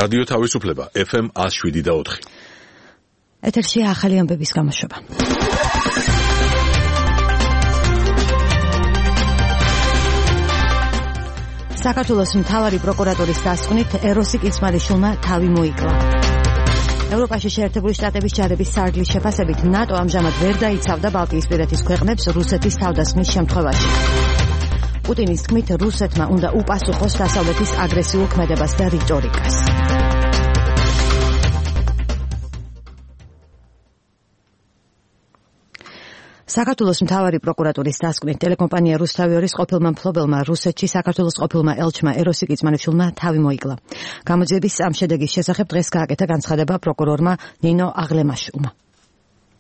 რადიო თავისუფლება FM 107.4. ეთერში ახალი ამბების გამოშვება. საქართველოს მთავარი პროკურატურის დასკვნით ეროსი კიცმარიშვილმა თავი მოიკლა. ევროპაში შეერთებული შტატების ჯარების სარდლის შეფასებით ნატო ამჟამად ვერ დაიცავდა ბალტიისპირეთის ქვეყნებს რუსეთის თავდასხმის შემთხვევაში. პუტინის თქმით რუსეთმა უნდა უპასუხოს დასავლეთის აგრესიულ ქმედებას და რიტორიკას. საქართველოს მთავარი პროკურატურის დასკვნით ტელეკომპანია რუსთავიორის ყოფილმა მფლობელმა რუსეთში საქართველოს ყოფილმა ელჩმა ეროსი კიცმარიშვილმა თავი მოიკლა. გამოძიების ამ შედეგის შესახებ დღეს გააკეთა განცხადება პროკურორმა ნინო აღლემაშვილმა.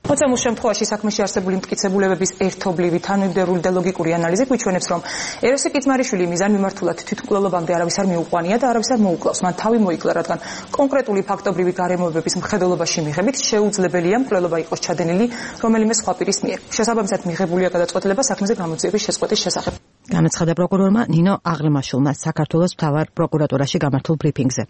მოცემულ შემთხვევაში საქმეში არსებული მტკიცებულებების ერთობლივი, თანმიმდევრული და ლოგიკური ანალიზი გვიჩვენებს, რომ ეროსი კიცმარიშვილი მიზანმიმართულად თვითმკვლელობამდე არავის არ მიუყვანია და არავის არ მოუკლავს. მან თავი მოიკლა, რადგან კონკრეტული ფაქტობრივი გარემოებების მხედველობაში მიღებით შეუძლებელია მკვლელობა იყოს ჩადენილი რომელიმე სხვა პირის მიერ. შესაბამისად მიღებულია გადაწყვეტილება საქმეზე გამოძიების შეწყვეტის შესახებ. განაცხადა პროკურორმა ნინო აღლემაშვილმა საქართველოს მთავარ პროკურატურაში გამართულ ბრიფინგზე.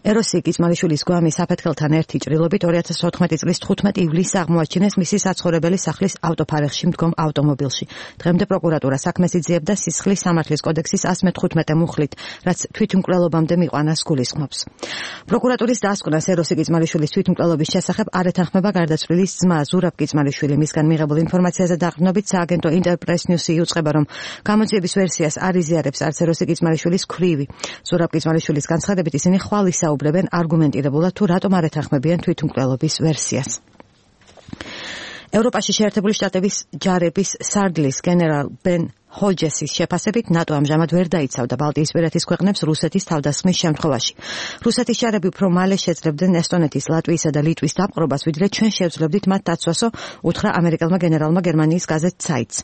ეროსი კიცმარიშვილის გვამი საფეთქელთან ერთი ჭრილობით 2014 წლის 15 ივლისს აღმოაჩინეს მისი საცხოვრებელი სახლის ავტოფარეხში მდგომ ავტომობილში. დღემდე პროკურატურა საქმეს იძიებდა სისხლის სამართლის კოდექსის 115 მუხლით, რაც თვითმკვლელობამდე მიყვანას გულისხმობს. პროკურატურის დასკვნას ეროსი კიცმარიშვილის თვითმკვლელობის შესახებ არ ეთანხმება გარდაცვლილის ძმა ზურაბ კიცმარიშვილი. მისგან მიღებულ ინფორმაციაზე დაყრდნობით სააგენტო ინტერპრეს ნიუსი იუწყება, რომ გამოძიების ვერსიას არ იზიარებს არც ეროსი კიცმარიშვილის ქვრივი. ზურაბ კიცმარიშვილის განცხადებით ისინი ხვალ ისაუბრებენ არგუმენტირებულად თუ რატომ არ ეთანხმებიან თვითმკვლელობის ვერსიას. ევროპაში შეერთებული შტატების ჯარების სარდლის გენერალ ბენ ჰოჯესის შეფასებით ნატო ამჟამად ვერ დაიცავდა ბალტიისპირეთის ქვეყნებს რუსეთის თავდასხმის შემთხვევაში. რუსეთის ჯარები უფრო მალე შეძლებდნენ ესტონეთის, ლატვიისა და ლიტვის დაპყრობას, ვიდრე ჩვენ შევძლებდით მათ დაცვასო, უთხრა ამერიკელმა გენერალმა გერმანიის გაზეთ Zeit's.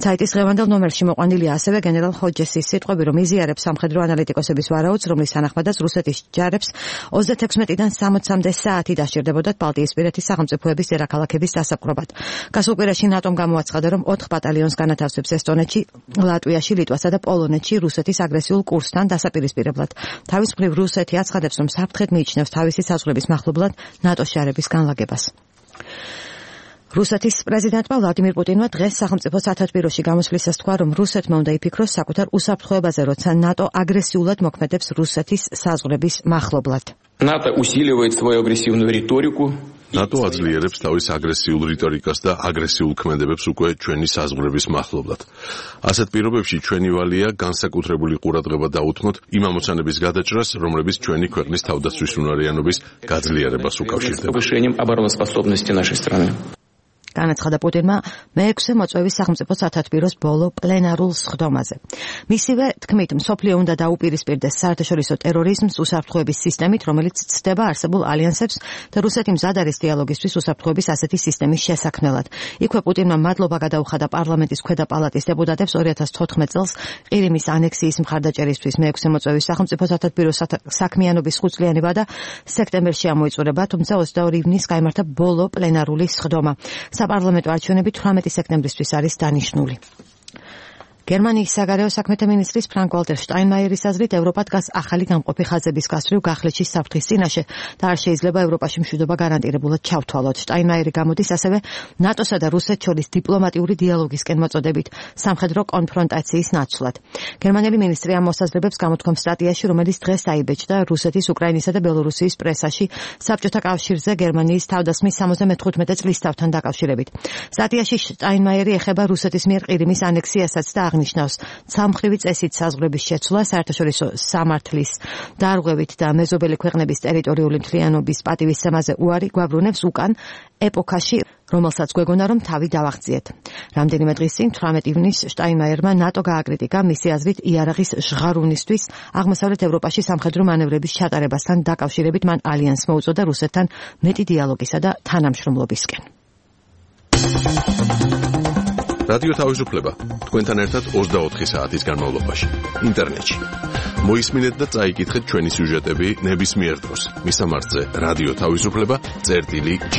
Zeit's დღევანდელ ნომერში მოყვანილია ასევე გენერალ ჰოჯესის სიტყვები, რომ იზიარებს სამხედრო ანალიტიკოსების ვარაუდს, რომლის თანახმადაც რუსეთის ჯარებს 36-დან 60-მდე საათი დასჭირდებოდათ ბალტიისპირეთის სახელმწიფოების დედაქალაქების დასაპყრობად. გასულ კვირაში ნატომ გამოაცხადა, რომ 4 ბატალიონს განათავსებს ესტონეთში, ლატვიაში, ლიტვასა და პოლონეთში რუსეთის აგრესიულ კურსთან დასაპირისპირებლად. თავის მხრივ რუსეთი აცხადებს, რომ საფრთხედ მიიჩნევს თავისი საზღვრების მახლობლად ნატოს ჯარების განლაგებას. რუსეთის პრეზიდენტმა ვლადიმირ პუტინმა დღეს სახელმწიფო სათათბიროში გამოსვლისას თქვა, რომ რუსეთმა უნდა იფიქროს საკუთარ უსაფრთხოებაზე, როცა ნატო აგრესიულად მოქმედებს რუსეთის საზღვრების მახლობლად. НАТО усиливает свою агрессивную риторику. ნატო აძლიერებს თავის აგრესიულ რიტორიკას და აგრესიულ ქმედებებს უკვე ჩვენი საზღვრების მახლობლად. ასეთ პირობებში ჩვენი ვალია განსაკუთრებული ყურადღება დაუთმოთ იმ ამოცანების გადაჭრას, რომლებიც ჩვენი ქვეყნის თავდაცვის უნარიანობის გაძლიერებას უკავშირდება. განაცხადა პუტინმა მე-6 მოწვევის სახელმწიფო სათათბიროს ბოლო პლენარულ სხდომაზე. მისივე თქმით, მსოფლიო უნდა დაუპირისპირდეს საერთაშორისო ტერორიზმს უსაფრთხოების სისტემით, რომელიც ცდება არსებულ ალიანსებს და რუსეთი მზად არის დიალოგისთვის უსაფრთხოების ასეთი სისტემის შესაქმნელად. იქვე პუტინმა მადლობა გადაუხადა პარლამენტის ქვედა პალატის დეპუტატებს 2014 წელს ყირიმის ანექსიის მხარდაჭერისთვის. მე-6 მოწვევის სახელმწიფო სათათბიროს საქმიანობის 5 წლიანი ვადა სექტემბერში ამოიწურება, თუმცა 22 ივნისს გაიმართა ბოლო პლენარული სხდომა. საპარლამენტო არჩევნები 18 სექტემბრისთვის არის დანიშნული. გერმანიის საგარეო საქმეთა მინისტრის ფრანკ ვალტერ შტაინმაიერის აზრით ევროპა დგას ახალი გამყოფი ხაზების გასწვრივ გახლეჩის საფრთხის წინაშე და არ შეიძლება ევროპაში მშვიდობა გარანტირებულად ჩავთვალოთ. შტაინმაიერი გამოდის ასევე ნატოსა და რუსეთს შორის დიპლომატიური დიალოგისკენ მოწოდებით სამხედრო კონფრონტაციის ნაცვლად. გერმანელი მინისტრი ამ მოსაზრებებს გამოთქვამს სტატიაში, რომელიც დღეს დაიბეჭდა რუსეთის, უკრაინისა და ბელორუსიის პრესაში საბჭოთა კავშირზე გერმანიის თავდასხმის 75 წლისთავთან დაკავშირებით. სტატიაში შტაინმაიერი ეხება რუსეთის მიერ ყირიმის ანექსიასაც და აღნიშნავს სამხრივი წესით საზღვრების შეცვლა, საერთაშორისო სამართლის დარღვევით და მეზობელი ქვეყნების ტერიტორიული მთლიანობის პატივისცემაზე უარი გვაბრუნებს უკან ეპოქაში, რომელსაც გვეგონა, რომ თავი დავაღწიეთ. რამდენიმე დღის წინ 18 ივნისს შტაინმაიერმა ნატო გააკრიტიკა მისი აზრით იარაღის ჟღარუნისთვის აღმოსავლეთ ევროპაში სამხედრო მანევრების ჩატარებასთან დაკავშირებით მან ალიანსს მოუწოდა რუსეთთან მეტი დიალოგისა და თანამშრომლობისკენ. რადიო თავისუფლება თქვენთან ერთად 24 საათის განმავლობაში ინტერნეტში. მოისმინეთ და წაიკითხეთ ჩვენი სიუჟეტები ნებისმიერ დროს. მისამართზე რადიო თავისუფლება წერტილი G.